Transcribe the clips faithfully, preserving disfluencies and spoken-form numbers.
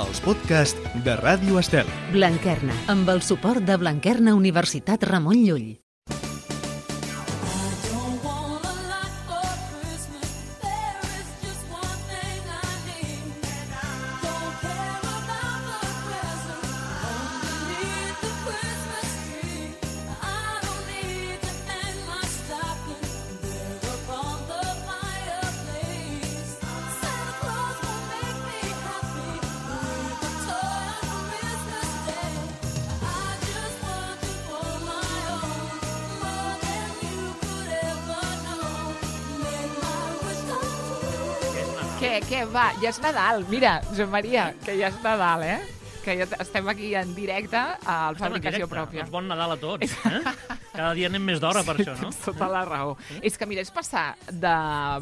els podcasts de Ràdio Estel. Blanquerna, amb el suport de Blanquerna Universitat Ramon Llull. Què, què, va, ja és Nadal. Mira, Josep Maria, que ja és Nadal, eh? Que ja estem aquí en directe a la fabricació pròpia. Doncs bon Nadal a tots, eh? Cada dia anem més d'hora per això, no? Tens tota la raó. Sí? És que, mira, és passar de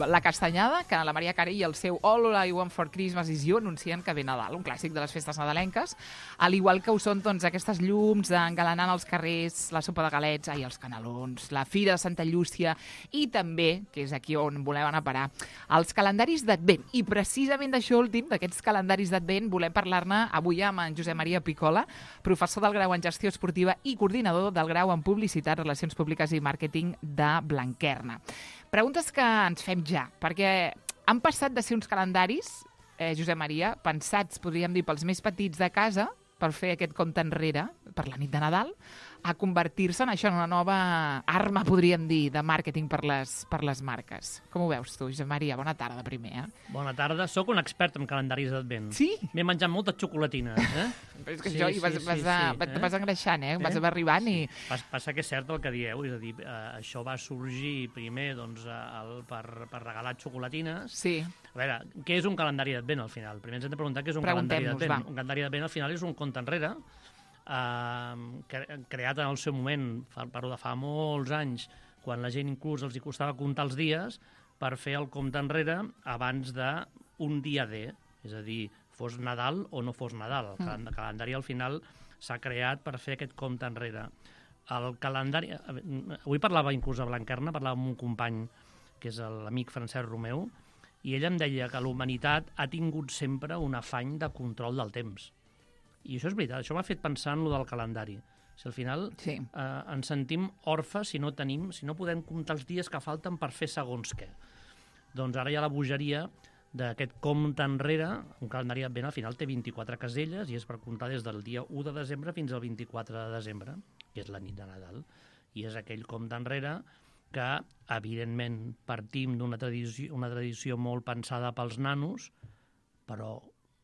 la castanyada, que la Maria Carey i el seu All I Want for Christmas is You anuncien que ve Nadal, un clàssic de les festes nadalenques, al igual que ho són doncs, aquestes llums engalanant els carrers, la sopa de galets, ai, els canelons, la Fira de Santa Llúcia i també, que és aquí on volem anar a parar, els calendaris d'Advent. I precisament d'això últim, d'aquests calendaris d'Advent, volem parlar-ne avui amb en Josep Maria Picola, professor del grau en Gestió Esportiva i coordinador del grau en Publicitat, Relacions Públiques i Màrqueting de Blanquerna. Preguntes que ens fem ja, perquè han passat de ser uns calendaris, eh, Josep Maria, pensats, podríem dir, pels més petits de casa, per fer aquest compte enrere, per la nit de Nadal, a convertir-se en això, en una nova arma, podríem dir, de màrqueting per les, per les marques. Com ho veus tu, Josep Maria? Bona tarda, primer. Eh? Bona tarda. Soc un expert en calendaris d'Advent. Sí? M'he menjat moltes xocolatines. Eh? Però és que sí, això, sí, vas, sí, vas, sí, a, sí, eh? vas engreixant, eh? Vas arribant sí. i... Pas, passa que és cert el que dieu, és a dir, eh, això va sorgir primer doncs, el, per, per regalar xocolatines. Sí. A veure, què és un calendari d'Advent al final? Primer ens hem de preguntar què és un calendari d'Advent. Un calendari d'Advent al final és un compte enrere, Uh, creat en el seu moment, parlo de fa molts anys, quan la gent inclús els hi costava comptar els dies per fer el compte enrere abans d'un dia D, és a dir, fos Nadal o no fos Nadal. El mm. calendari al final s'ha creat per fer aquest compte enrere. El calendari... Avui parlava inclús a Blanquerna, parlava amb un company que és l'amic Francesc Romeu, i ell em deia que la humanitat ha tingut sempre un afany de control del temps. I això és veritat, això m'ha fet pensar en lo del calendari. Si al final sí. eh, ens sentim orfes si no tenim, si no podem comptar els dies que falten per fer segons què. Doncs ara hi ha la bogeria d'aquest compte enrere, un calendari d'Advent al final té vint-i-quatre caselles i és per comptar des del dia u de desembre fins al vint-i-quatre de desembre, que és la nit de Nadal. I és aquell compte enrere que, evidentment, partim d'una tradició, una tradició molt pensada pels nanos, però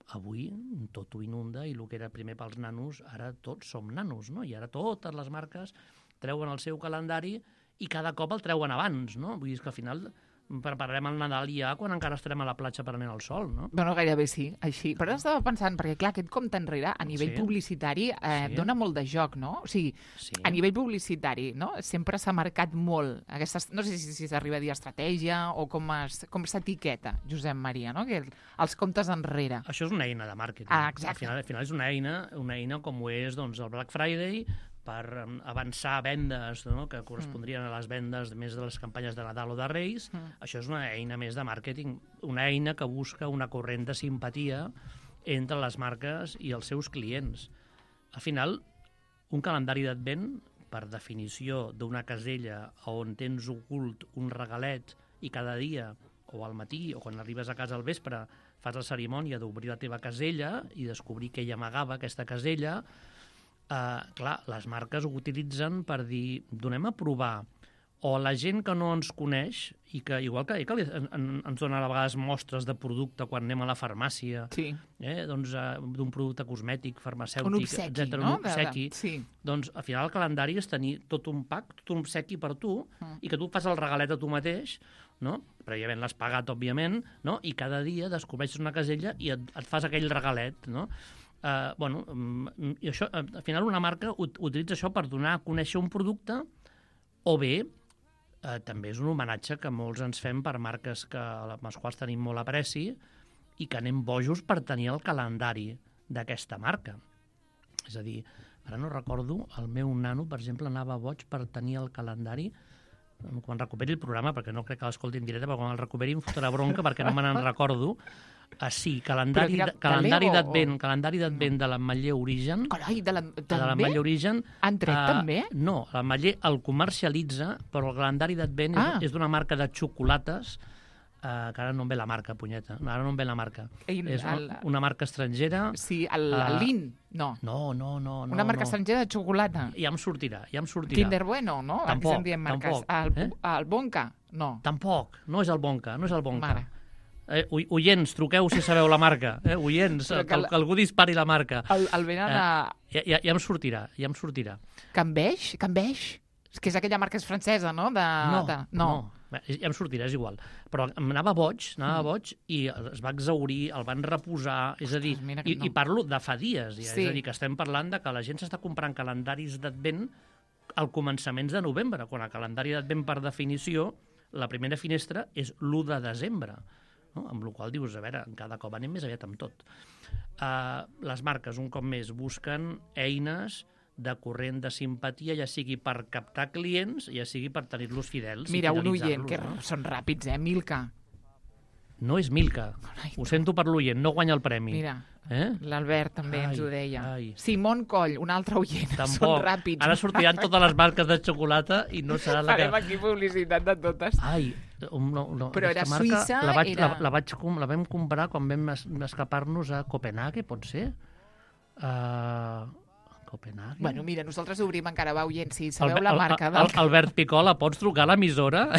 avui tot ho inunda i el que era primer pels nanos, ara tots som nanos, no? I ara totes les marques treuen el seu calendari i cada cop el treuen abans, no? Vull dir que al final prepararem el Nadal ja quan encara estarem a la platja prenent el sol, no? Bueno, gairebé sí, així. Però estava pensant, perquè clar, aquest compte enrere a nivell sí. publicitari eh, sí. dona molt de joc, no? O sigui, sí. a nivell publicitari, no? Sempre s'ha marcat molt aquestes, no sé si, si s'arriba a dir estratègia o com es, com s'etiqueta, Josep Maria, no? Que els comptes enrere. Això és una eina de màrqueting. Ah, exacte. Al final, al final és una eina, una eina com ho és doncs, el Black Friday, per avançar vendes, no? Que correspondrien a les vendes més de les campanyes de Nadal o de Reis. Mm. Això és una eina més de màrqueting, una eina que busca una corrent de simpatia entre les marques i els seus clients. Al final, un calendari d'Advent, per definició d'una casella on tens ocult un regalet i cada dia, o al matí, o quan arribes a casa al vespre, fas la cerimònia d'obrir la teva casella i descobrir què hi amagava aquesta casella. Uh, clar, les marques ho utilitzen per dir, donem a provar, o la gent que no ens coneix i que, igual que, que en, en, ens donen a vegades mostres de producte quan anem a la farmàcia, sí. eh, doncs, uh, d'un producte cosmètic, farmacèutic, un obsequi, etcètera, no? Un obsequi, de, de, sí. Doncs al final el calendari és tenir tot un pack, tot un obsequi per tu, mm. i que tu fas el regalet a tu mateix, no? Prèviament l'has pagat, òbviament, no? I cada dia descobreixes una casella i et, et fas aquell regalet, no? Uh, bueno, um, i això, uh, al final una marca ut utilitza això per donar a conèixer un producte, o bé uh, també és un homenatge que molts ens fem per marques que, amb les quals tenim molt apreci i que anem bojos per tenir el calendari d'aquesta marca. És a dir, ara no recordo, el meu nano, per exemple, anava boig per tenir el calendari quan recuperi el programa, perquè no crec que l'escolti en directe, però quan el recuperi em fotrà bronca perquè no me n'en recordo. Ah, sí, calendari, Però, calendari d'advent, o... calendari d'advent de l'Ametller Origen. Carai, de l'Ametller també? Origen. Han tret, uh, també? No, l'Ametller el comercialitza, però el calendari d'advent ah. és, és d'una marca de xocolates, uh, que ara no em ve la marca, punyeta, ara no em ve la marca. Ei, és el... una, una marca estrangera. Sí, el, el uh, Lin, no. No, no, no. Una marca no. estrangera de xocolata. Ja em sortirà, ja em sortirà. Kinder Bueno, no? Tampoc, Aquí se'n marques. tampoc. El, eh? el Bonca, no. Tampoc, no és el Bonca, no és el Bonca. Mare. Eh, oients, truqueu si sabeu la marca. Eh? Oients, que, que, que algú dispari la marca. El, el venen eh, a... Ja, ja, ja em sortirà, ja em sortirà. Cambeix? Cambeix? És que és aquella marca és francesa, no? De, no, de... no, no. Ja em sortirà, és igual. Però em anava boig, anava boig i es va exhaurir, el van reposar, és a dir, Ostres, i, no. i parlo de fa dies, ja, sí. és a dir, que estem parlant de que la gent s'està comprant calendaris d'advent al començaments de novembre, quan el calendari d'advent, per definició, la primera finestra és l'u de desembre. No? Amb la qual dius, a veure, cada cop anem més aviat amb tot. Uh, les marques, un cop més, busquen eines de corrent de simpatia, ja sigui per captar clients, ja sigui per tenir-los fidels. Mira, i un oient, que no? són ràpids, eh? Milka. No és Milka. Ai, ho sento per l'oient, no guanya el premi. Mira, eh? l'Albert també ai, ens ho deia. Ai. Simón Coll, un altre oient. Tampoc. Són ràpids. Ara sortiran totes les marques de xocolata i no serà la que... Farem aquí publicitat de totes. Ai, no, no, però era marca, Suïssa, la vaig, era... La, la, vaig, la vam comprar quan vam es, escapar-nos a Copenhague, pot ser? Uh, Copenhague? Bueno, mira, nosaltres obrim encara, va, oient, si sabeu el, la marca... El, del... el, Albert Picola, pots trucar a l'emissora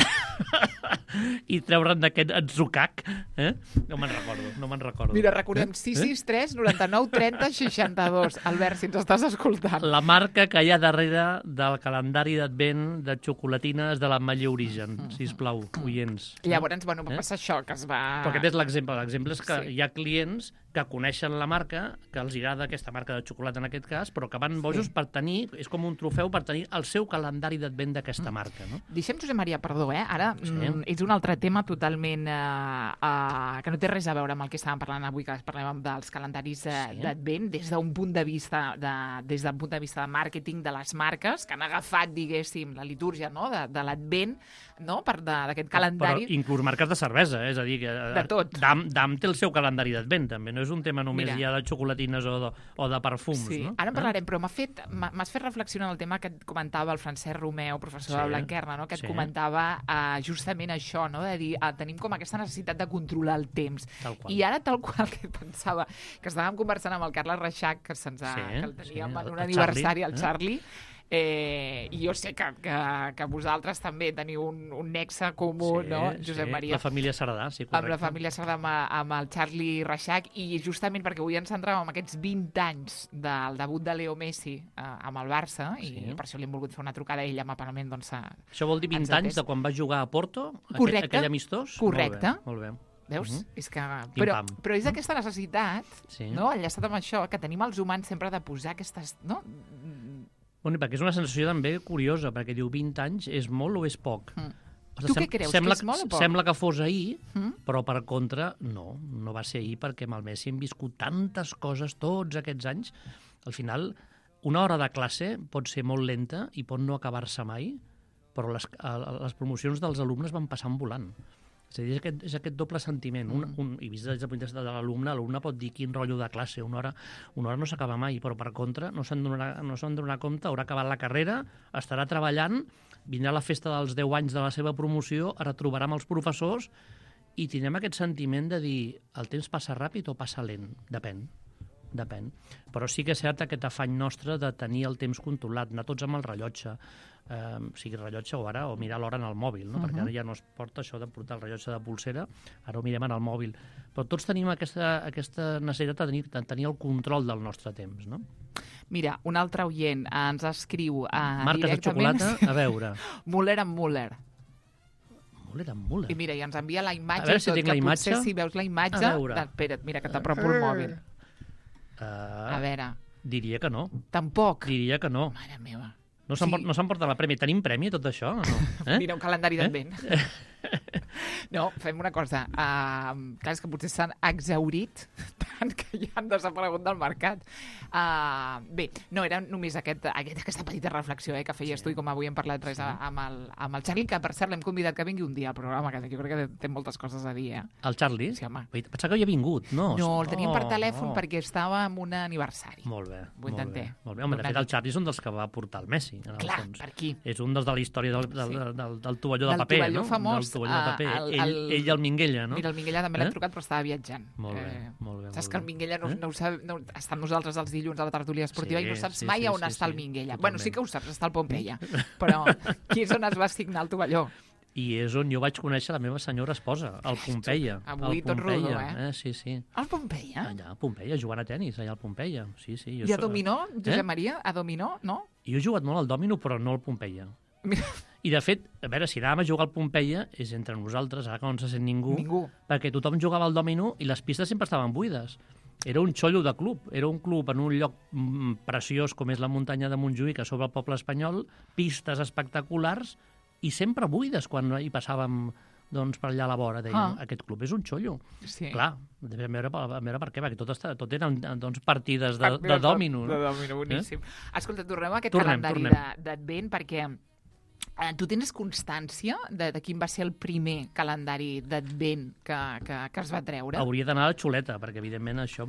i treure'n d'aquest atzucac? Eh? No me'n recordo, no me'n recordo. Mira, recordem, eh? sis sis tres, noranta-nou, trenta, seixanta-dos. Albert, si ens estàs escoltant. La marca que hi ha darrere del calendari d'advent de xocolatines de l'Ametller Origen, sisplau, oients. Llavors, bueno, va eh? passar això, que es va... Però aquest és l'exemple. L'exemple és que sí. hi ha clients que coneixen la marca, que els agrada aquesta marca de xocolata en aquest cas, però que van bojos sí. per tenir, és com un trofeu per tenir el seu calendari d'advent d'aquesta marca. No? Deixem, Josep Maria, perdó, eh? Ara sí. mm, és un altre tema totalment eh, eh, que no té res a veure amb el que estàvem parlant avui, que parlem dels calendaris eh, sí. d'advent, des d'un punt de vista de, des del punt de vista de màrqueting de les marques, que han agafat, diguéssim, la litúrgia no? de, de l'advent, no? per d'aquest calendari. Però inclús marques de cervesa, eh? És a dir, que de tot. Dam, Dam té el seu calendari d'advent, també. No és un tema només Mira. ja de xocolatines o de, o de perfums. Sí, no? ara en parlarem, però m'ha fet, m'has fet reflexionar en el tema que et comentava el Francesc Romeu, professor sí. de Blanquerna, no? que et sí. comentava uh, justament això, no? de dir, uh, tenim com aquesta necessitat de controlar el temps. I ara, tal qual que pensava, que estàvem conversant amb el Carles Reixac, que se'ns ha, sí, que el teníem sí, en un aniversari, el Charlie, Eh, i jo sé que, que, que vosaltres també teniu un, un nexe comú, sí, no, Josep sí. Maria? La família Cerdà, sí, correcte. Amb la família Cerdà, amb, amb el Charlie Reixac, i justament perquè avui ens centràvem en aquests vint anys del debut de Leo Messi eh, amb el Barça, sí. i per això li hem volgut fer una trucada a ell amablement. Doncs, a, això vol dir vint anys de quan va jugar a Porto, correcte, aquell, aquell amistós? Correcte. Molt bé, molt bé. Veus? Uh -huh. És que... Però, però és aquesta necessitat, sí. no? enllaçat amb això, que tenim els humans sempre de posar aquestes... No? Bueno, perquè és una sensació també curiosa, perquè diu vint anys és molt o és poc? Mm. O sigui, tu què creus, sembla, que és molt o poc? Sembla que fos ahir, mm. però per contra, no, no va ser ahir, perquè amb el Messi hem viscut tantes coses tots aquests anys. Al final, una hora de classe pot ser molt lenta i pot no acabar-se mai, però les, les promocions dels alumnes van passant volant. És a dir, és aquest, és aquest doble sentiment. Un, un, I vist des del punt de vista de l'alumne, l'alumne pot dir quin rotllo de classe, una hora, una hora no s'acaba mai, però per contra no se'n donarà, no se'n donarà compte, haurà acabat la carrera, estarà treballant, vindrà la festa dels deu anys de la seva promoció, ara trobarà amb els professors i tindrem aquest sentiment de dir el temps passa ràpid o passa lent, depèn. Depèn. Però sí que és cert aquest afany nostre de tenir el temps controlat, anar tots amb el rellotge, eh, sigui rellotge o ara, o mirar l'hora en el mòbil, no? Uh -huh. Perquè ara ja no es porta això de portar el rellotge de pulsera, ara ho mirem en el mòbil. Però tots tenim aquesta, aquesta necessitat de tenir, de tenir el control del nostre temps, no? Mira, un altre oient ens escriu uh, marques directament... de xocolata, a veure. Müller amb Müller. Müller amb Müller. I mira, i ens envia la imatge. A veure si tot, tinc que la imatge. Potser si veus la imatge... A veure. De... Espera't, mira, que t'apropo el mòbil. Uh, a veure. Diria que no. Tampoc? Diria que no. Mare meva. No s'emporta sí. no la premi. Tenim premi tot això o no? Eh? Mira, un calendari d'advent. Eh? No, fem una cosa. Uh, clar, és que potser s'han exhaurit tant que ja han desaparegut del mercat. Uh, bé, no, era només aquest, aquest, aquesta petita reflexió eh, que feies sí. tu i com avui hem parlat res sí. amb, el, amb el Charlie, que per cert l'hem convidat que vingui un dia al programa, que jo crec que té moltes coses a dir. Eh? El Charlie? Sí, home. Pensava que havia vingut, no? No, el tenim oh, per telèfon oh. perquè estava en un aniversari. Molt bé. Ho intenté. Molt bé. Home, de fet, el Charlie és un dels que va portar el Messi. En el Clar, fons. per aquí. És un dels de la història del, del, del, del, del tovalló de del paper, tovalló no? famós, del tovalló de paper. El, ell, el... ell i el Minguella, no? Mira, el Minguella també eh? l'hem trucat, però estava viatjant. Molt bé, eh, molt bé. Saps molt que el Minguella no, eh? no ho sap, no, està amb nosaltres els dilluns a la tertúlia esportiva sí, i no saps sí, mai sí, on sí, està sí, el Minguella. totalment. Bueno, sí que ho saps, està al Pompeia, però qui és on es va assignar el tovalló? I és on jo vaig conèixer la meva senyora esposa, al Pompeia. Avui tot rodó, eh? eh? Sí, sí. Al Pompeia? Allà, al Pompeia, jugant a tenis, allà al Pompeia. Sí, sí. Jo I a so... dominó, Josep eh? Maria? A dominó, no? Jo he jugat molt al dòmino, però no al Pompeia. Mira. I, de fet, a veure, si anàvem a jugar al Pompeia, és entre nosaltres, ara que no se sent ningú, ningú, perquè tothom jugava al dòmino i les pistes sempre estaven buides. Era un xollo de club, era un club en un lloc mm, preciós com és la muntanya de Montjuïc, a sobre el poble espanyol, pistes espectaculars i sempre buides quan hi passàvem doncs, per allà a la vora. Dèiem, ah. aquest club és un xollo. Sí. Clar, vam veure, vam veure per què, perquè tot, està, tot eren doncs, partides de, de dòmino. De dòmino, boníssim. Eh? Escolta, tornem a aquest tornem, calendari d'Advent, perquè eh, tu tens constància de, de quin va ser el primer calendari d'Advent que, que, que es va treure? Hauria d'anar a la xuleta, perquè evidentment això,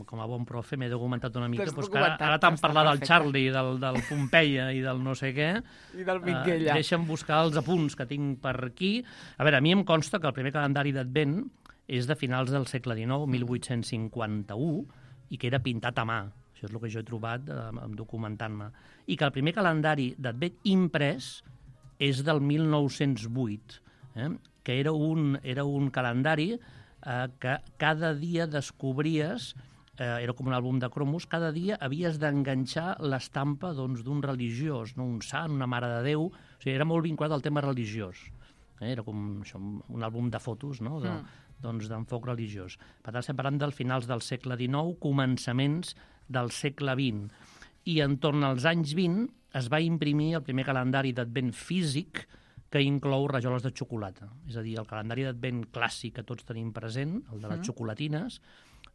com a bon profe, m'he documentat una mica. Doncs que ara, ara tant parlar del Charlie, del, del Pompeia i del no sé què, i del Minguella. Eh, deixa'm buscar els apunts que tinc per aquí. A veure, a mi em consta que el primer calendari d'Advent és de finals del segle dinou, mil vuit-cents cinquanta-u, i que era pintat a mà. Això és el que jo he trobat eh, documentant-me. I que el primer calendari d'Advent imprès és del mil nou-cents vuit, eh? que era un, era un calendari eh, que cada dia descobries, eh, era com un àlbum de cromos, cada dia havies d'enganxar l'estampa doncs, d'un religiós, no? Un sant, una mare de Déu, o sigui, era molt vinculat al tema religiós. Eh? Era com això, un àlbum de fotos, no? de, mm. doncs, d'enfoc religiós. Per tant, estem parlant dels finals del segle dinou, començaments del segle vint. I entorn als anys vint es va imprimir el primer calendari d'Advent físic que inclou rajoles de xocolata. És a dir, el calendari d'Advent clàssic que tots tenim present, el de les mm. xocolatines,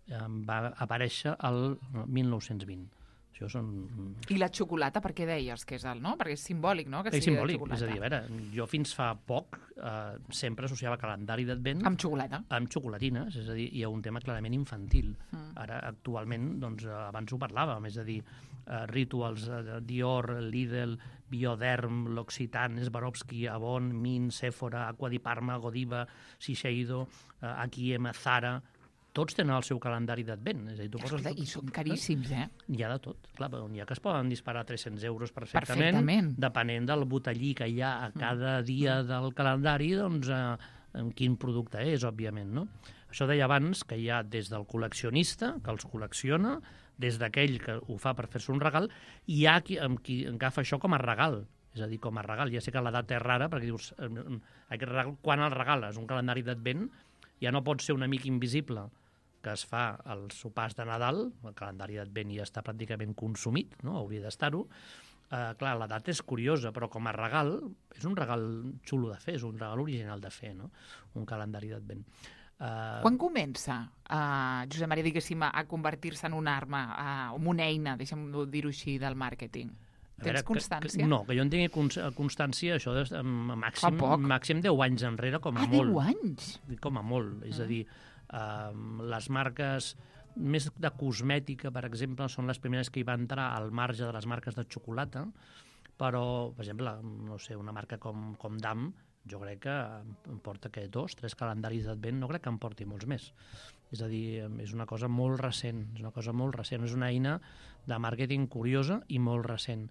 eh, va aparèixer el mil nou-cents vint. Això són... I la xocolata, per què deies que és el, no? Perquè és simbòlic, no? Que és simbòlic, és a dir, a veure, jo fins fa poc eh, sempre associava calendari d'Advent... Amb xocolata. Amb xocolatines, és a dir, hi ha un tema clarament infantil. Mm. Ara, actualment, doncs, abans ho parlàvem, és a dir, eh, Rituals, eh, Dior, Lidl, Bioderm, L'Occitane, Swarovski, Avon, Min, Sephora, Aqua di Parma, Godiva, Shiseido, eh, H i M, Zara... Tots tenen el seu calendari d'Advent. És a dir, tu poses... I són caríssims, eh? Hi ha de tot. Clar, n'hi ha que es poden disparar tres-cents euros perfectament, perfectament. Depenent del botellí que hi ha a cada dia del calendari, doncs, eh, en quin producte és, òbviament, no? Això deia abans que hi ha des del col·leccionista, que els col·lecciona, des d'aquell que ho fa per fer-se un regal, i hi ha qui, qui agafa això com a regal. És a dir, com a regal. Ja sé que l'edat és rara, perquè dius, aquest regal, quan el regales? Un calendari d'Advent ja no pot ser un amic invisible que es fa als sopars de Nadal, el calendari d'Advent ja està pràcticament consumit, no? Hauria d'estar-ho. Eh, clar, l'edat és curiosa, però com a regal, és un regal xulo de fer, és un regal original de fer, no? Un calendari d'Advent. Uh... Quan comença, uh, Josep Maria, diguéssim, a convertir-se en una arma, uh, en una eina, deixa'm dir-ho així, del màrqueting? Tens veure, constància? Que, que, no, que jo en tingui constància, això de màxim, màxim deu anys enrere, com a ah, molt. deu anys? Com a molt, és a dir, uh, les marques més de cosmètica, per exemple, són les primeres que hi va entrar al marge de les marques de xocolata, però, per exemple, no sé, una marca com, com Dam, jo crec que em porta que dos, tres calendaris d'Advent, no crec que em porti molts més. És a dir, és una cosa molt recent, és una cosa molt recent, és una eina de màrqueting curiosa i molt recent.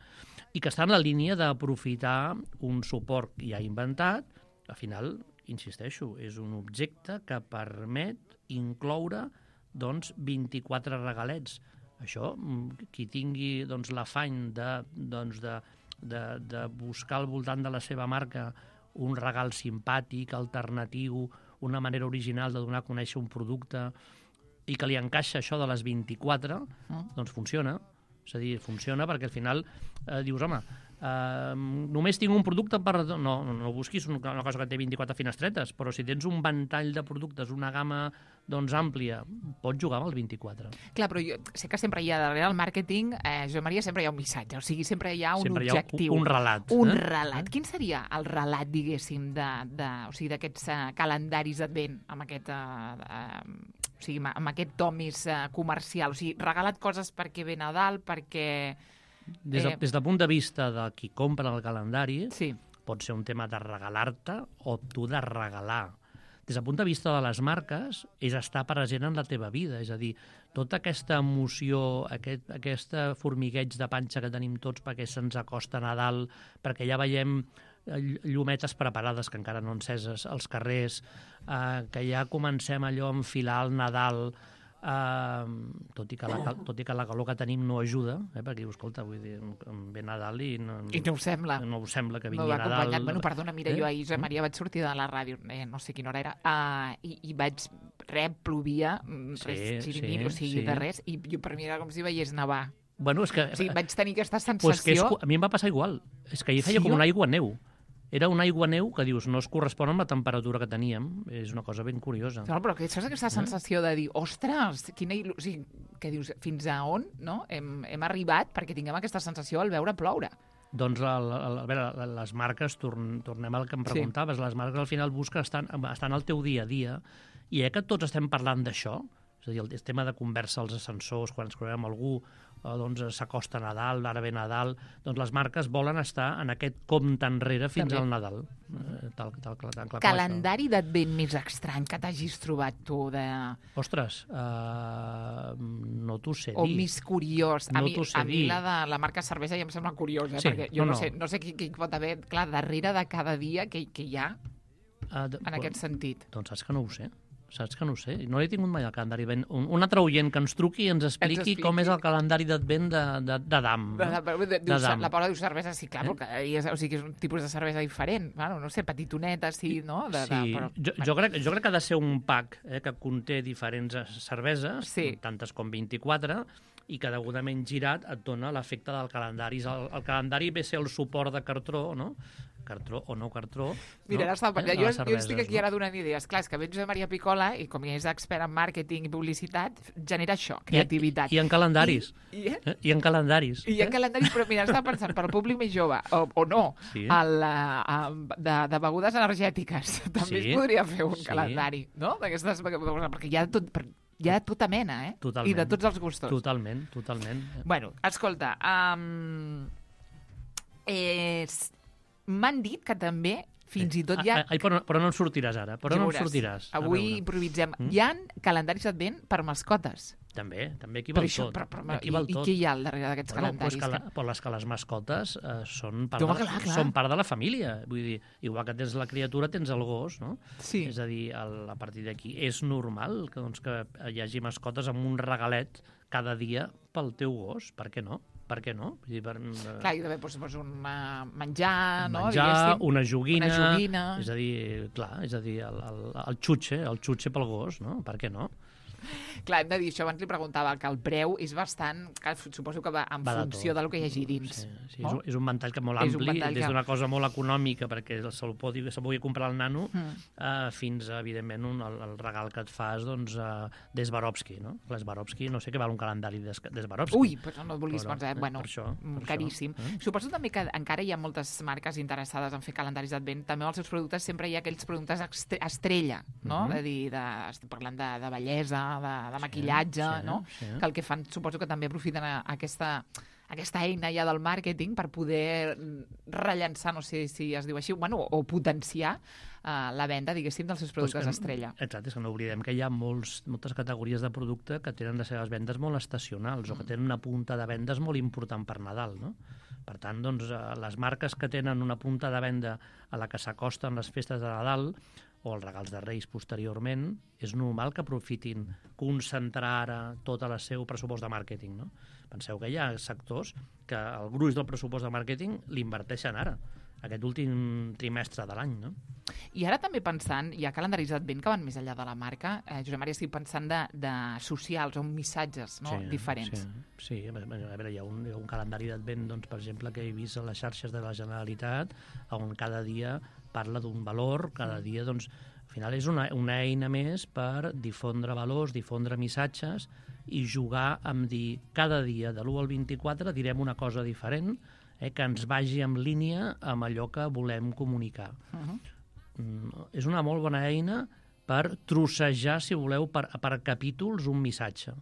I que està en la línia d'aprofitar un suport ja inventat, al final, insisteixo, és un objecte que permet incloure doncs, vint-i-quatre regalets. Això, qui tingui doncs, l'afany de, doncs, de, de, de buscar al voltant de la seva marca un regal simpàtic, alternatiu, una manera original de donar a conèixer un producte i que li encaixa això de les vint-i-quatre, mm. doncs funciona. És a dir, funciona perquè al final eh, dius, home, eh, només tinc un producte per... No, no busquis una cosa que té vint-i-quatre finestretes, però si tens un ventall de productes, una gamma doncs, àmplia, pots jugar amb el vint-i-quatre. Clar, però jo sé que sempre hi ha darrere el màrqueting, eh, Josep Maria, sempre hi ha un missatge, o sigui, sempre hi ha un sempre objectiu. Hi ha un, un relat. Un eh? relat. Quin seria el relat, diguéssim, de, de, o sigui, d'aquests uh, calendaris d'advent, amb aquest... Uh, uh, o sigui, amb aquest to més uh, comercial? O sigui, regala't coses perquè ve Nadal, perquè... Des, de, eh... des del punt de vista de qui compra el calendari, sí. pot ser un tema de regalar-te o tu de regalar. Des del punt de vista de les marques, és estar present en la teva vida. És a dir, tota aquesta emoció, aquest, aquesta formigueig de panxa que tenim tots perquè se'ns acosta Nadal, perquè ja veiem llumetes preparades que encara no enceses als carrers, eh, que ja comencem allò a enfilar el Nadal, eh, tot, i que la, tot i que la calor que tenim no ajuda, eh, perquè dius, escolta, vull dir, ve Nadal i no, I no ho sembla. No ho sembla que vingui no Nadal. Bueno, perdona, mira, eh? jo ahir, Josep Maria, vaig sortir de la ràdio, eh, no sé quina hora era, uh, i, i vaig, res, plovia, sí, res, sí, o sigui, sí. de res, i jo per mi era com si veiés nevar. Bueno, és que... O sigui, vaig tenir aquesta sensació... Pues que és, a mi em va passar igual. És que hi feia sí, com una aigua neu. Era una aigua neu que dius no es correspon amb la temperatura que teníem. És una cosa ben curiosa. No, però que saps aquesta sensació de dir, ostres, quina il·lu... o sigui, que dius, fins a on no? hem, hem arribat perquè tinguem aquesta sensació al veure ploure? Doncs a, a, a veure, les marques, torn, tornem al que em preguntaves, sí. Les marques al final busquen estan, estan al teu dia a dia, i eh, que tots estem parlant d'això, és a dir, el tema de conversa als ascensors, quan ens trobem algú, doncs s'acosta Nadal, ara ve Nadal, doncs les marques volen estar en aquest compte enrere fins També. al Nadal. Eh, tal, tal, tal, tal, tal, Calendari d'advent més estrany que t'hagis trobat tu de... Ostres, uh, no t'ho sé dir. O més curiós. A, no mi, a mi la de la marca cervesa ja em sembla curiosa, sí, perquè jo no, no, no sé, no sé qui, qui pot haver, clar, darrere de cada dia que, que hi ha uh, de, en bon, aquest sentit. Doncs saps que no ho sé. Saps que no ho sé. No he tingut mai el calendari d'advent. Un, un altre oient que ens truqui i ens expliqui, ens expliqui com és el calendari d'advent de, de, de Dam. De, de, de, de, de la Paula diu cervesa, sí, clar, eh? Però cada dia, o sigui, és un tipus de cervesa diferent. Bueno, no sé, petitoneta, sí, no? De, sí, de, però, jo, jo, crec, jo crec que ha de ser un pack eh, que conté diferents cerveses, sí. tantes com vint-i-quatre, i que degudament girat et dona l'efecte del calendari. El, el calendari ve a ser el suport de cartró, no? Cartró o no cartró. Mira, no? estava, eh? jo, jo estic aquí no? ara donant idees. Clar, és que ve Josep Maria Picola i com és expert en màrqueting i publicitat, genera això, creativitat. I, i en calendaris. I, i, eh? I en calendaris. I en calendaris, però mira, estava pensant, per al públic més jove, o, o no, sí. el, a, de, de begudes energètiques, també sí. es podria fer un sí. calendari, no? D'aquestes, perquè hi ha tot... Per, hi ha tota mena, eh? Totalment. I de tots els gustos. Totalment, totalment. Bueno, escolta, um, eh, m'han dit que també, fins i tot hi ha... Ai, però, però no en sortiràs ara, però ja no en sortiràs. Avui improvisem. Mm? Hi ha calendaris d'advent per mascotes. També, també aquí val això, tot. Però, però, aquí i, val I tot. què hi ha al darrere d'aquests bueno, calendaris? Pues que la, però les que les mascotes eh, són, part Toma, de, clar, clar. són part de la família. Vull dir, igual que tens la criatura, tens el gos, no? Sí. És a dir, el, a partir d'aquí és normal que, doncs, que hi hagi mascotes amb un regalet cada dia pel teu gos. Per què no? Per què no? Vull dir, per, uh... Clar, i també doncs, doncs, un uh, menjar, no? Menjar, diguéssim. una joguina, una joguina. És a dir, clar, és a dir, el, el, el xutxe, el xutxe pel gos, no? Per què no? Clar, hem de dir, això abans li preguntava, que el preu és bastant, que suposo que va en va funció de del que hi hagi dins. Sí, sí, no? és, un, és un ventall que molt ampli, des d'una que... cosa molt econòmica, perquè se'l pugui, se pugui comprar el nano, mm. uh, fins a, evidentment, un, el, el regal que et fas doncs, uh, d'Eswarovski, no? L'Eswarovski, no sé què val un calendari d'Eswarovski. Ui, però no et vulguis però, pensar, eh? bueno, per això, per caríssim. Això, eh? Suposo també que encara hi ha moltes marques interessades en fer calendaris d'advent. També als seus productes sempre hi ha aquells productes estrella, no? Mm -hmm. De dir, de, estic parlant de, de bellesa, de, de maquillatge, sí, sí, no? Sí. Que el que fan, suposo que també aprofiten aquesta, aquesta eina ja del màrqueting per poder rellençar, no sé si es diu així, bueno, o potenciar uh, la venda, diguéssim, dels seus productes pues que, estrella. Exacte, és que no oblidem que hi ha molts, moltes categories de producte que tenen les seves vendes molt estacionals mm. o que tenen una punta de vendes molt important per Nadal, no? Per tant, doncs, les marques que tenen una punta de venda a la que s'acosten les festes de Nadal o els regals de Reis posteriorment, és normal que aprofitin concentrar ara tot el seu pressupost de màrqueting, no? Penseu que hi ha sectors que el gruix del pressupost de màrqueting l'inverteixen ara. aquest últim trimestre de l'any, no? I ara també pensant, hi ha calendaris d'advent que van més enllà de la marca. Eh, Josep Maria, estic pensant de, de socials o missatges, no? Sí, diferents. Sí, sí. A veure, hi ha un, hi ha un calendari d'advent, doncs, per exemple, que he vist a les xarxes de la Generalitat, on cada dia parla d'un valor, cada dia, doncs, al final és una, una eina més per difondre valors, difondre missatges i jugar amb dir cada dia, de l'u al vint-i-quatre, direm una cosa diferent, eh, que ens vagi en línia amb allò que volem comunicar. Uh-huh. Mm, és una molt bona eina per trossejar, si voleu, per, per capítols un missatge.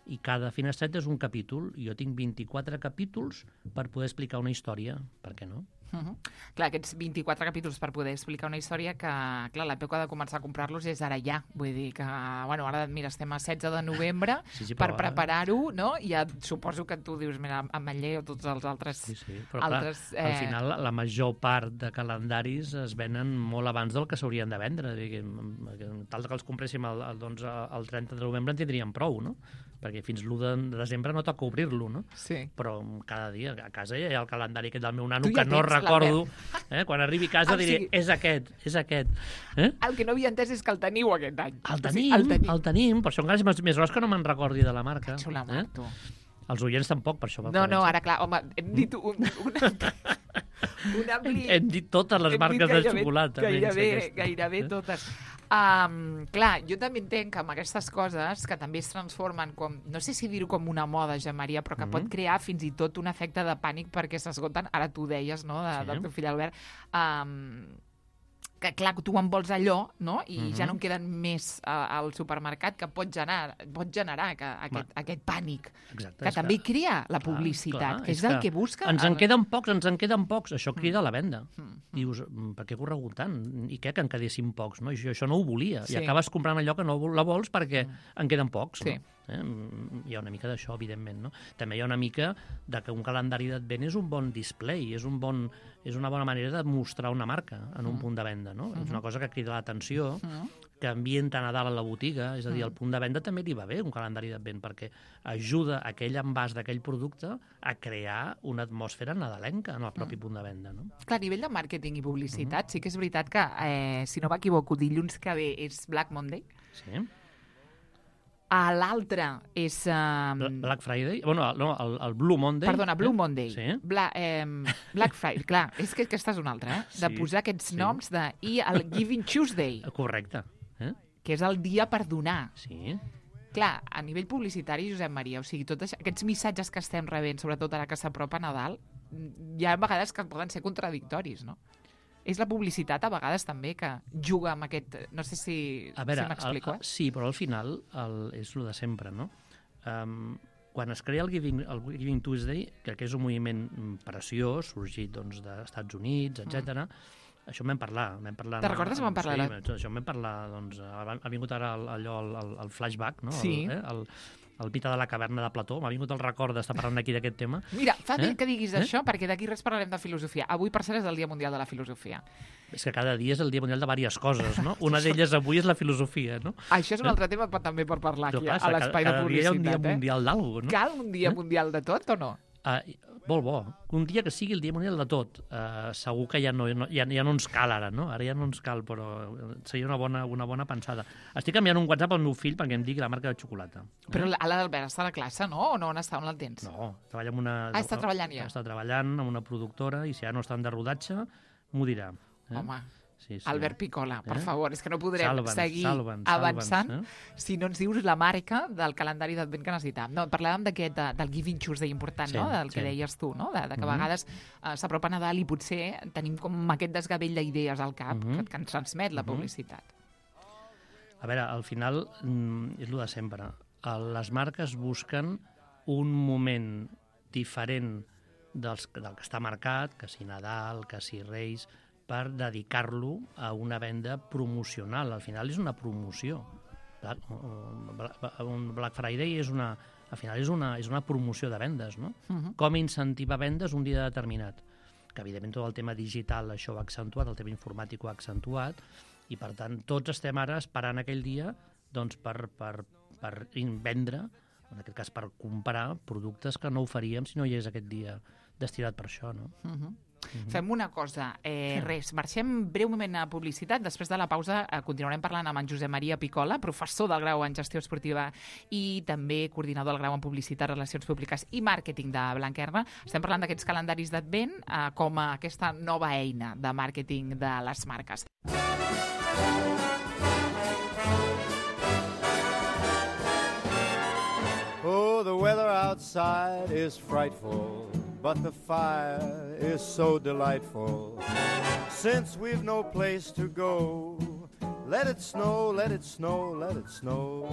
I cada finestreta és un capítol. Jo tinc vint-i-quatre capítols per poder explicar una història. Per què no? Uh-huh. Clar, aquests vint-i-quatre capítols per poder explicar una història que, clar, l'època de començar a comprar-los és ara ja. Vull dir que, bueno, ara, mira, estem a setze de novembre, sí, sí, per preparar-ho, no? I ja suposo que tu dius, mira, Ametller o tots els altres... Sí, sí, però altres, clar, eh... al final la major part de calendaris es venen molt abans del que s'haurien de vendre. Tal que els compréssim el, el, doncs, el trenta de novembre en tindríem prou, no? Perquè fins l'u de desembre no toca obrir-lo, no? Sí. Però cada dia a casa hi ha el calendari aquest del meu nano que no recordo. Eh? Quan arribi a casa diré, sigui... és aquest, és aquest. Eh? El que no havia entès és que el teniu aquest any. El tenim, el tenim, el tenim. Per això encara és més, més gros que no me'n recordi de la marca. Cacho la mar, tu. Els oients tampoc, per això. No, no, ara clar, home, hem dit un... un... un ampli... Hem dit totes les marques de xocolata. Gairebé, gairebé totes. Um, clar, jo també entenc que amb aquestes coses que també es transformen com, no sé si dir-ho com una moda, Josep Maria, però que mm-hmm. pot crear fins i tot un efecte de pànic perquè s'esgoten, ara tu deies, no?, de, sí. del teu fill Albert, um, que clar, tu en vols allò, no?, i mm-hmm. ja no en queden més uh, al supermercat, que pot generar, pot generar que, aquest, aquest pànic, Exacte, que també que... crea la publicitat, clar, clar, que és, és el que, que busca. Ens el... en queden pocs, ens en queden pocs, això crida mm. a la venda. Mm. Dius, per què corregut tant? I què, que en quedessin pocs? No? Jo això no ho volia. Sí. I acabes comprant allò que no la vols perquè mm. en queden pocs. Sí. No? Eh? Hi ha una mica d'això, evidentment. No? També hi ha una mica de que un calendari d'advent és un bon display, és, un bon, és una bona manera de mostrar una marca en un mm. punt de venda. No? Mm-hmm. És una cosa que crida l'atenció, mm. que ambienta Nadal a la botiga, és a dir, al punt de venda també li va bé un calendari d'advent, perquè ajuda aquell envàs d'aquell producte a crear una atmosfera nadalenca en el propi mm. punt de venda. No? Clar, a nivell de màrqueting i publicitat, mm. sí que és veritat que, eh, si no m'equivoco, dilluns que ve és Black Monday. Sí. A l'altre és... Um... Black Friday? Bueno, no, el, el Blue Monday. Perdona, Blue eh? Monday. Sí. Bla, eh, Black Friday, clar, és que aquesta és una altra, eh? De sí, posar aquests sí. noms de... I el Giving Tuesday. Correcte. Eh? Que és el dia per donar. Sí. Clar, a nivell publicitari, Josep Maria, o sigui, tots aquests missatges que estem rebent, sobretot ara que s'apropa Nadal, hi ha vegades que poden ser contradictoris, no? És la publicitat, a vegades, també, que juga amb aquest... No sé si, a veure, si m'explico, eh? Sí, però al final el, és el de sempre, no? Um, quan es crea el Giving, el Giving Tuesday, que és un moviment preciós, sorgit doncs, dels Estats Units, etcètera, mm. això en vam parlar. Vam parlar Te'n recordes que vam parlar? Sí, això en vam parlar, doncs, ha vingut ara allò, el, el, el flashback, no? Sí. El, eh? el, el mite de la caverna de Plató. M'ha vingut el record d'estar parlant aquí d'aquest tema. Mira, fa bé eh? que diguis eh? això, perquè d'aquí res parlarem de filosofia. Avui, per cert, és el Dia Mundial de la Filosofia. És que cada dia és el Dia Mundial de diverses coses, no? Una d'elles avui és la filosofia, no? Això és un altre tema també per parlar aquí, a l'espai de publicitat. Cada dia hi ha un dia eh? mundial d'algú, no? Cal un dia eh? mundial de tot o no? Uh, molt bo. Un dia que sigui el dia mundial de tot. Uh, segur que ja no, no, ja, ja no ens cal ara, no? Ara ja no ens cal, però seria una bona, una bona pensada. Estic canviant un WhatsApp al meu fill perquè em digui la marca de xocolata. Però eh? l'Albert està a la classe, no? O no? On està? On el tens? No, treballa amb una... Ah, està treballant ja? Està treballant amb una productora i si ja no estan de rodatge, m'ho dirà. Eh? Home, sí, sí. Albert Picola, per eh? favor, és que no podrem salva'ns, seguir salva'ns, avançant salva'ns, eh? si no ens dius la marca del calendari d'advent que necessitàvem. No, parlàvem d'aquest, de, del Giving Tuesday important, sí, no? Del que sí. deies tu, no? De, de que a vegades uh, s'apropa Nadal i potser tenim com aquest desgavell d'idees al cap mm-hmm. que, que ens transmet la publicitat. A veure, al final mm, és el de sempre. Les marques busquen un moment diferent dels, del que està marcat, que si Nadal, que si Reis, per dedicar-lo a una venda promocional. Al final és una promoció. Un Black Friday és una, al final és una, és una promoció de vendes, no? Uh-huh. Com incentivar vendes un dia determinat. Que, evidentment, tot el tema digital això ho ha accentuat, el tema informàtic ho ha accentuat, i, per tant, tots estem ara esperant aquell dia doncs, per, per, per vendre, en aquest cas per comprar productes que no ho faríem si no hi és aquest dia destinat per això, no? Uh-huh. Mm-hmm. Fem una cosa, eh, res, marxem breument a publicitat, després de la pausa eh, continuarem parlant amb en Josep Maria Picola, professor del grau en gestió esportiva i també coordinador del grau en publicitat, relacions públiques i màrqueting de Blanquerna. Estem parlant d'aquests calendaris d'Advent eh, com a aquesta nova eina de màrqueting de les marques. Oh, the weather outside is frightful, but the fire is so delightful. Since we've no place to go, let it snow, let it snow, let it snow.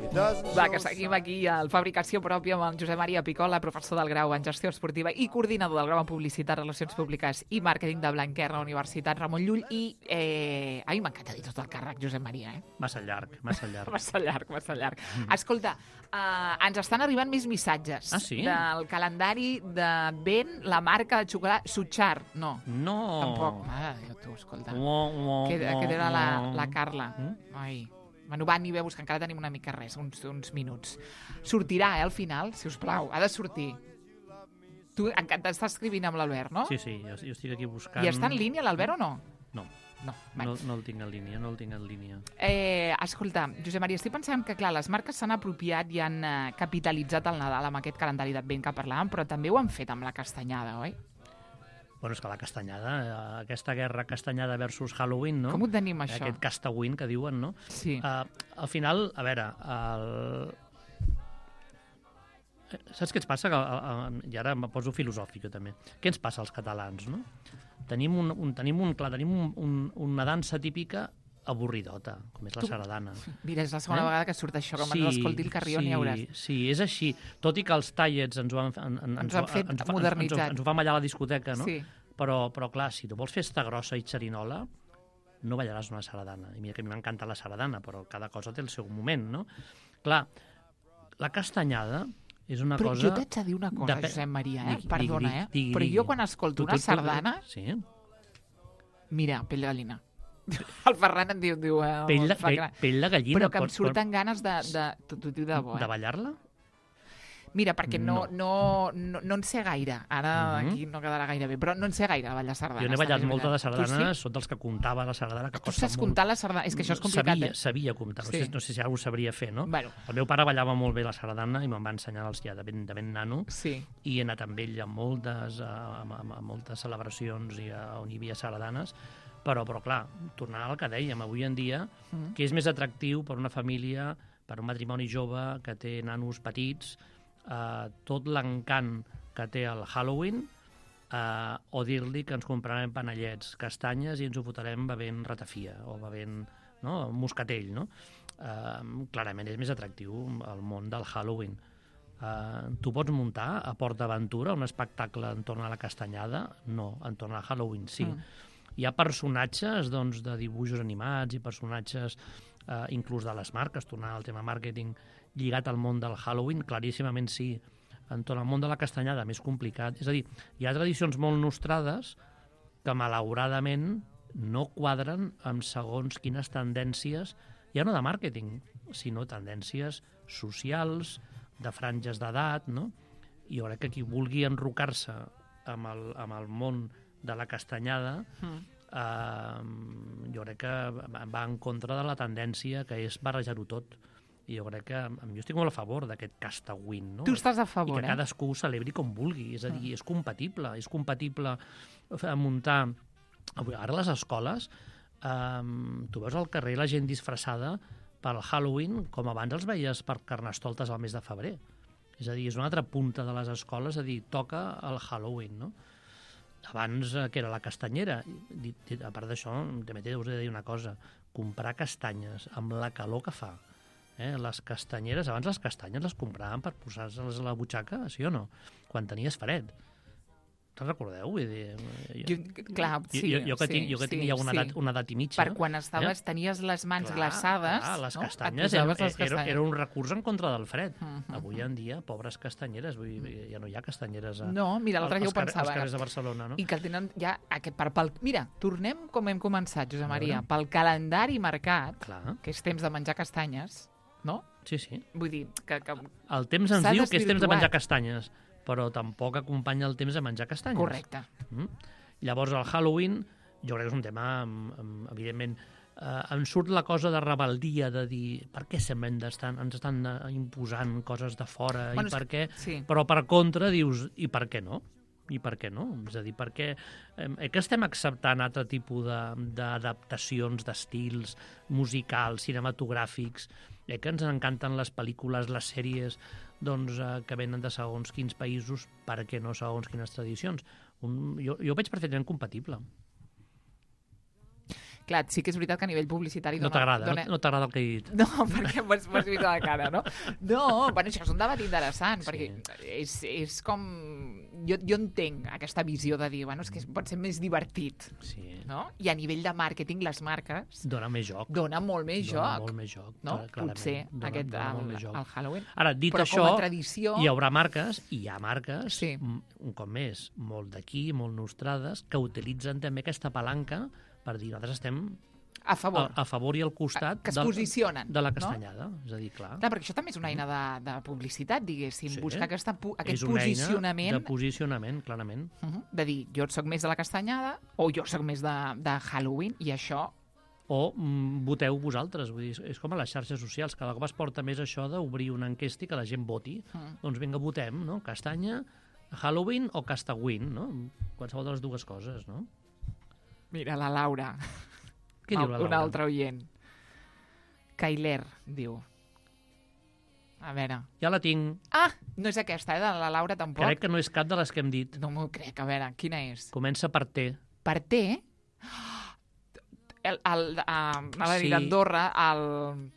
It doesn't Va, que seguim aquí al Fabricació Pròpia amb en Josep Maria Picola, professor del grau en gestió esportiva i coordinador del grau en publicitat, relacions públiques i màrqueting de Blanquerna, Universitat Ramon Llull. I, eh... ai, m'encanta dir tot el càrrec, Josep Maria, eh? Massa llarg, massa llarg. massa llarg, massa llarg. Mm. Escolta, eh, ens estan arribant més missatges ah, sí? del calendari de Ben, la marca de xocolata, Sutxar. No. No. Tampoc. Mare de Déu, tu, escolta. Oh, oh, que, oh, que era la, oh. la Carla. Mm? Ai. Bueno, va, ni veus que encara tenim una mica res, uns, uns minuts. Sortirà, eh, al final, si us plau. Ha de sortir. Tu encara t'estàs escrivint amb l'Albert, no? Sí, sí, jo, jo estic aquí buscant... I està en línia l'Albert o no? No. No, no, no el tinc en línia, no el tinc en línia. Eh, escolta, Josep Maria, estic pensant que, clar, les marques s'han apropiat i han eh, capitalitzat el Nadal amb aquest calendari d'Advent que parlàvem, però també ho han fet amb la castanyada, oi? Bueno, és que la castanyada, aquesta guerra castanyada versus Halloween, no? Com ho tenim, això? Aquest castawin que diuen, no? Sí. Uh, al final, a veure, el... saps què ens passa? I ara em poso filosòfic, jo també. Què ens passa als catalans, no? Tenim, un, un, tenim, un, clar, tenim un, un, una dansa típica avorridota, com és la sardana. Mira, és la segona eh? vegada que surt això, com sí, ens escolti el Carrió, sí, n'hi hauràs. Sí, és així. Tot i que els tallets ens ho han, en, en, ens ho han fet ens, modernitzat. Ens, ens, ens ho fem allà a la discoteca, no? Sí. Però, però clar, si tu vols festa grossa i xerinola, no ballaràs una sardana. I mira que a mi m'encanta la sardana, però cada cosa té el seu moment, no? Clar, la castanyada és una però cosa... Però jo t'haig de dir una cosa, de... Josep Maria, eh? Digui, Perdona, digui, eh? digui, però digui. jo quan escolto tu, una tu, sardana... Tu, sí? Mira, pell de gallina. El Ferran em diu... diu eh, pell, de, pell, pell de gallina. Però que em pot, surten pot... ganes de... de T'ho diu de bo, eh? De ballar-la? Mira, perquè no, no. No, no, no en sé gaire. Ara mm-hmm. aquí no quedarà gaire bé, però no en sé gaire a ballar sardanes. Jo n'he ballat molta de sardanes, sí? Són dels que comptava la sardana. Que tu saps molt... comptar la sardana? És que això és complicat, sabia, eh? Sabia comptar, sí. no, sé, no sé si algú sabria fer, no? Bueno. El meu pare ballava molt bé la sardana i me'n va ensenyar els ja de ben, de ben nano, sí. i he anat amb ell a moltes, a, a, a moltes celebracions i a, on hi havia sardanes, però, però clar, tornant al que dèiem, avui en dia, mm. que és més atractiu per una família, per un matrimoni jove que té nanos petits, Uh, tot l'encant que té el Halloween, uh, o dir-li que ens comprarem panellets, castanyes i ens ho fotrem bevent ratafia o bevent, no, moscatell, no? Uh, clarament és més atractiu el món del Halloween. Uh, tu pots muntar a Port d'Aventura un espectacle entorn a la castanyada? No, entorn al Halloween sí. Mm. Hi ha personatges, doncs, de dibuixos animats i personatges uh, inclús de les marques, tornant al tema màrqueting, lligat al món del Halloween, claríssimament sí. Entorn al món de la castanyada, més complicat. És a dir, hi ha tradicions molt nostrades que, malauradament, no quadren amb segons quines tendències, ja no de màrqueting, sinó tendències socials, de franges d'edat, no? I jo crec que qui vulgui enrocar-se amb el, amb el món de la castanyada, mm. eh, jo crec que va en contra de la tendència que és barrejar-ho tot. I jo crec que jo estic molt a favor d'aquest castawin, no? Tu estàs a favor, I que eh? cadascú ho celebri com vulgui, és a dir, és compatible, és compatible muntar... Ara a les escoles, eh, tu veus al carrer la gent disfressada pel Halloween, com abans els veies per Carnestoltes al mes de febrer. És a dir, és una altra punta de les escoles, és a dir, toca el Halloween, no? Abans, que era la castanyera, a part d'això, també us he de dir una cosa, comprar castanyes amb la calor que fa, Eh, les castanyeres, abans les castanyes les compraven per posar-les a la butxaca, sí o no? Quan tenies fred. Te'n recordeu? Vull dir, jo, clar, sí. Jo, jo que sí, tinc, jo que tinc sí, ja una, sí. edat, una edat i mitja. Per quan estaves, eh? tenies les mans clar, glaçades, clar, les no? castanyes, era, les castanyes. Era, era un recurs en contra del fred. Uh -huh. Avui en dia, pobres castanyeres, vull dir, ja no hi ha castanyeres a, no, mira, l'altre dia ho pensava. als carrers de Barcelona. No? I que tenen ja... Aquest, per, pel, mira, tornem com hem començat, Josep Maria, pel calendari marcat, clar. Que és temps de menjar castanyes, no? Sí, sí. Vull dir que... que el temps ens diu que és temps de menjar castanyes, però tampoc acompanya el temps a menjar castanyes. Correcte. Mm? Llavors, el Halloween, jo crec que és un tema, evidentment, eh, em surt la cosa de rebeldia, de dir per què sempre estan, ens estan imposant coses de fora, bueno, i per què... Sí. Però per contra dius, i per què no? I per què no? És a dir, perquè eh, que estem acceptant altre tipus d'adaptacions d'estils musicals, cinematogràfics, eh, que ens encanten les pel·lícules, les sèries, doncs, eh, que venen de segons quins països, per què no segons quines tradicions? Un, jo, jo ho veig perfectament compatible. Clar, sí que és veritat que a nivell publicitari... No t'agrada, dona... no, no t'agrada el que he dit. No, perquè m'has vist la cara, no? No, bueno, això és un debat interessant, sí. Perquè és, és com... Jo, jo entenc aquesta visió de dir, bueno, és que pot ser més divertit, sí. No? I a nivell de màrqueting, les marques... Dona més joc. Dona molt més dona joc. molt més joc, no? clarament. Potser dona, aquest, dona el, el Halloween. Ara, dit però això, com a tradició... hi haurà marques, i hi ha marques, sí. un cop més, molt d'aquí, molt nostrades, que utilitzen també aquesta palanca per dir, nosaltres estem... A favor. A, a favor i al costat que es del, posicionen, de la castanyada. No? És a dir, clar. Clar, perquè això també és una eina de, de publicitat, diguéssim. Sí. Buscar aquesta, aquest és una posicionament... eina de posicionament, clarament. Uh -huh. De dir, jo soc més de la castanyada o jo soc més de, de Halloween i això... O mm, voteu vosaltres. Vull dir, és com a les xarxes socials. Cada cop es porta més això d'obrir una enquesta i que la gent voti. Uh -huh. Doncs vinga, votem, no? Castanya, Halloween o Castawin, no? Qualsevol de les dues coses, no? Mira, la Laura... Què diu la Laura? Un altre oient. Kailer, diu. A veure... Ja la tinc. Ah, no és aquesta, eh? De la Laura tampoc. Crec que no és cap de les que hem dit. No m'ho crec. A veure, quina és? Comença per T. Per T? El, el, a, a la Sí. d'Andorra, el...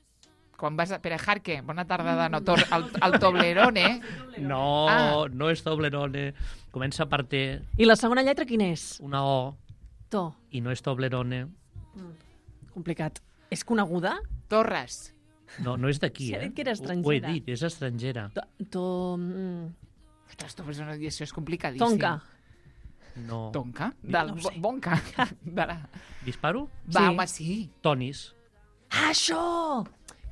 Quan vas a... Pere Jarque, bona tarda de no, tor... el, el Toblerone. No, Ah. no és Toblerone. Comença per T. I la segona lletra quina és? Una O. To. I no és Toblerone. Complicat. És coneguda? Torres. No, no és d'aquí, Si ha eh? dit que era Ho- Ho he estrangera. dit, és estrangera. To... to mm, Ostres, tu, això és- això és complicadíssim. tonka. No. Tonka? Del No ho sé. bo- Bonca. De la... Disparo? Va, Sí. home, sí. Tonis. Ah, això!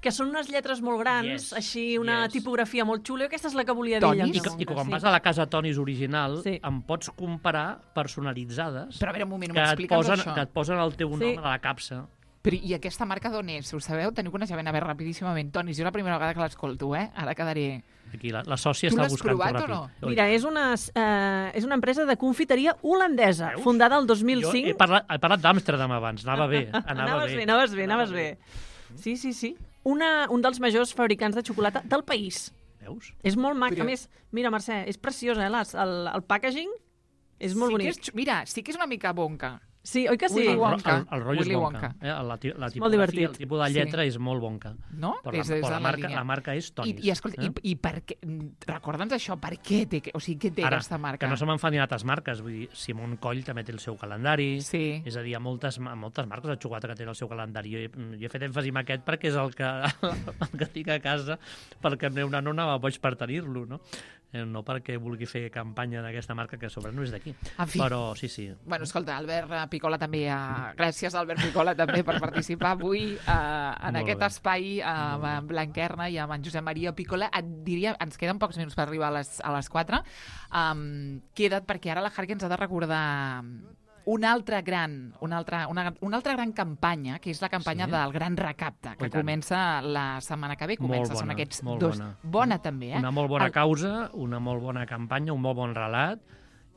Que són unes lletres molt grans, Yes, així una yes. tipografia molt xula. Aquesta és la que volia Tonis? dir. I, llançar que, I bonca, quan sí. vas a la casa Tonis original, Sí. em pots comprar personalitzades Però a veure, un moment, que et, m'explica'ns posen, això. que et posen el teu nom Sí. a la capsa. Però, I aquesta marca d'on és? Ho sabeu? Teniu coneixement? A veure, rapidíssimament. Tonis, jo la primera vegada que l'escolto, eh? Ara quedaré... Aquí la, la sòcia Tu està l'has buscant provat ràpid. o no? Oi. Mira, és una, eh, és una empresa de confiteria holandesa, Veus? fundada el dos mil Jo cinc. he parlat, he parlat d'Amsterdam abans, anava bé. Anava anaves bé, bé, anaves bé, anaves bé. Sí, sí, sí. Una, un dels majors fabricants de xocolata del país. Veus? És molt mac. Però- A més, mira, Mercè, és preciós, eh? Les, el, el packaging és molt sí bonic. Que és, xu- mira, sí que és una mica bonca. Sí, oi que sí? Willy El, Wonka. el, el rotllo Willy és bonca. Wonka. Eh? La, ti- la molt tipografia, divertit. el tipus de lletra Sí. és molt bonca. No? Però, la, És- és però de la, la marca, línia. la marca és I, Tonis. i, escolta, eh? i, i per què... Recorda'ns això, per què té... O sigui, què té Ara, aquesta marca? que no se me'n fan ni altres marques. Vull dir, Simon Coll també té el seu calendari. Sí. És a dir, hi ha moltes, moltes marques de xocolata que tenen el seu calendari. Jo he, jo he fet èmfasi en aquest perquè és el que, el que tinc a casa, perquè el meu nano anava boig per tenir-lo, no? Eh, No perquè vulgui fer campanya d'aquesta marca, que a sobre no és d'aquí. En fi. Però sí, sí. Bueno, escolta, Albert Picola també... Uh, gràcies, Albert Picola, també per participar avui uh, en Molt aquest bé. espai uh, amb en Blanquerna i amb en Josep Maria Picola. Et diria, ens queden pocs minuts per arribar a les, a les quatre. Um, queda't, perquè ara la Harque ens ha de recordar una altra gran, una altra, una, una altra gran campanya, que és la campanya Sí? del Gran Recapte, que Oh, i tant. comença la setmana que ve. Molt Comença, són bona, aquests molt dos... bona. Bona, també, eh? Una molt bona El- causa, una molt bona campanya, un molt bon relat,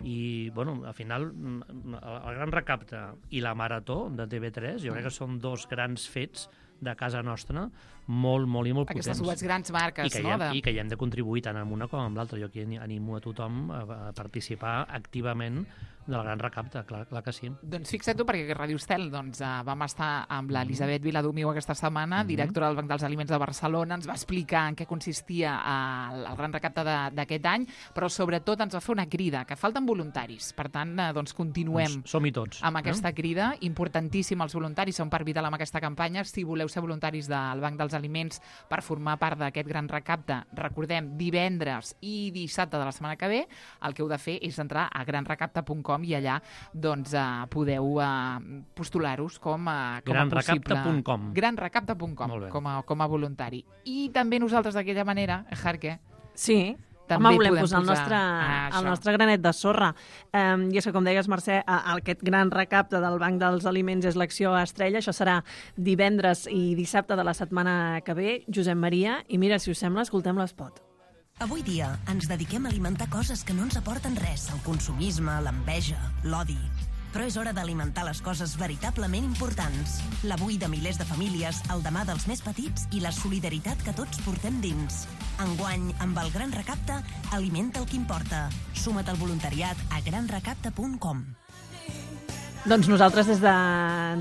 i, bueno, al final, mm, el, el Gran Recapte i la Marató de T V tres, jo crec que són dos grans fets de casa nostra, molt, molt i molt Aquestes potents. dues grans marques, I que, hi no? hem, De... I que hi hem de contribuir tant amb una com amb l'altra. Jo aquí animo a tothom a, a participar activament del Gran Recapte, clar, clar que sí. Doncs fixa't tu, perquè a Ràdio Estel doncs, uh, vam estar amb l'Elisabet Viladomiu aquesta setmana, Mhm. directora del Banc dels Aliments de Barcelona, ens va explicar en què consistia uh, el, el Gran Recapte de- d'aquest any, però sobretot ens va fer una crida, que falten voluntaris. Per tant, uh, doncs continuem Doncs som-hi tots. amb aquesta crida. Importantíssim, els voluntaris són per vital amb aquesta campanya. Si voleu ser voluntaris del Banc dels Aliments per formar part d'aquest Gran Recapte, recordem, divendres i dissabte de la setmana que ve, el que heu de fer és entrar a gran recapte punt com i allà doncs, uh, podeu uh, postular-vos com a, com a gran possible... recapte punt com. gran recapte punt com, Molt bé. com a, com a voluntari. I també nosaltres d'aquella manera, Harque, Sí, També Home, volem podem posar el posar... nostre, Ah, el això. nostre granet de sorra. Um, I és que, com deies, Mercè, a- aquest gran recapte del Banc dels Aliments és l'acció estrella. Això serà divendres i dissabte de la setmana que ve. Josep Maria, i mira, si us sembla, escoltem l'espot. Avui dia ens dediquem a alimentar coses que no ens aporten res, el consumisme, l'enveja, l'odi. Però és hora d'alimentar les coses veritablement importants. L'avui de milers de famílies, el demà dels més petits i la solidaritat que tots portem dins. Enguany, amb el Gran Recapte, alimenta el que importa. Suma't al voluntariat a gran recapte punt com. Doncs nosaltres des de,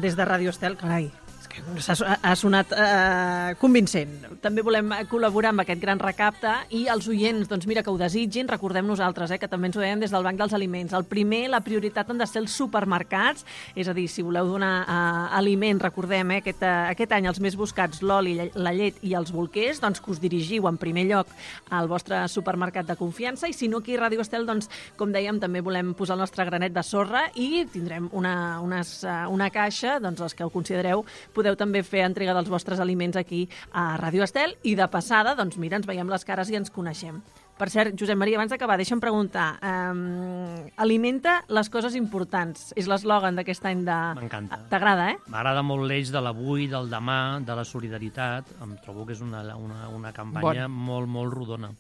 des de Ràdio Estel, carai, és que ha, ha sonat eh, convincent. També volem col·laborar amb aquest gran recapte i els oients, doncs mira, que ho desitgin, recordem nosaltres, eh, que també ens ho deien des del Banc dels Aliments. El primer, la prioritat han de ser els supermercats, és a dir, si voleu donar eh, aliments, recordem, eh, aquest, eh, aquest any els més buscats, l'oli, la llet i els bolquers, doncs que us dirigiu en primer lloc al vostre supermercat de confiança, i si no, aquí a Ràdio Estel, doncs, com dèiem, també volem posar el nostre granet de sorra i tindrem una, unes, una caixa, doncs els que ho considereu, podeu també fer entrega dels vostres aliments aquí a Ràdio Estel, i de passada, doncs mira, ens veiem les cares i ens coneixem. Per cert, Josep Maria, abans d'acabar, deixa'm preguntar, um, alimenta les coses importants, és l'eslògan d'aquest any de... M'encanta. T'agrada, eh? M'agrada molt l'eix de l'avui, del demà, de la solidaritat. Em trobo que és una, una, una campanya bon. molt, molt rodona.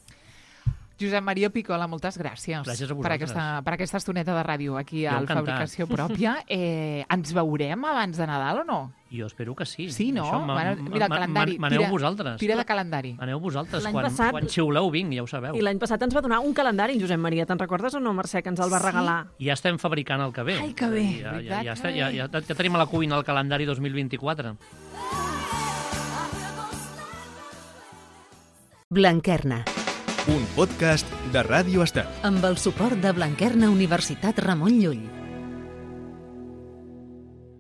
Josep Maria Picola, moltes gràcies, gràcies a per, aquesta, per aquesta estoneta de ràdio aquí jo al encantat. Fabricació Pròpia. Eh, ens veurem abans de Nadal o no? Jo espero que sí. Sí, no? Això, Mira, el calendari. Maneu tira, vosaltres. Tira de calendari. Maneu vosaltres. L'any Quan, passat- quan xiuleu vinc, ja ho sabeu. I l'any passat ens va donar un calendari, Josep Maria, te'n recordes o no, Mercè, que ens el va regalar? Ja estem fabricant el que ve. Ai, que bé. Ja, ja, Veritat, ja, està, que ja, bé. ja, ja tenim a la cuina el calendari dos mil vint-i-quatre. Blanquerna, Un podcast de Ràdio Estel. amb el suport de Blanquerna Universitat Ramon Llull.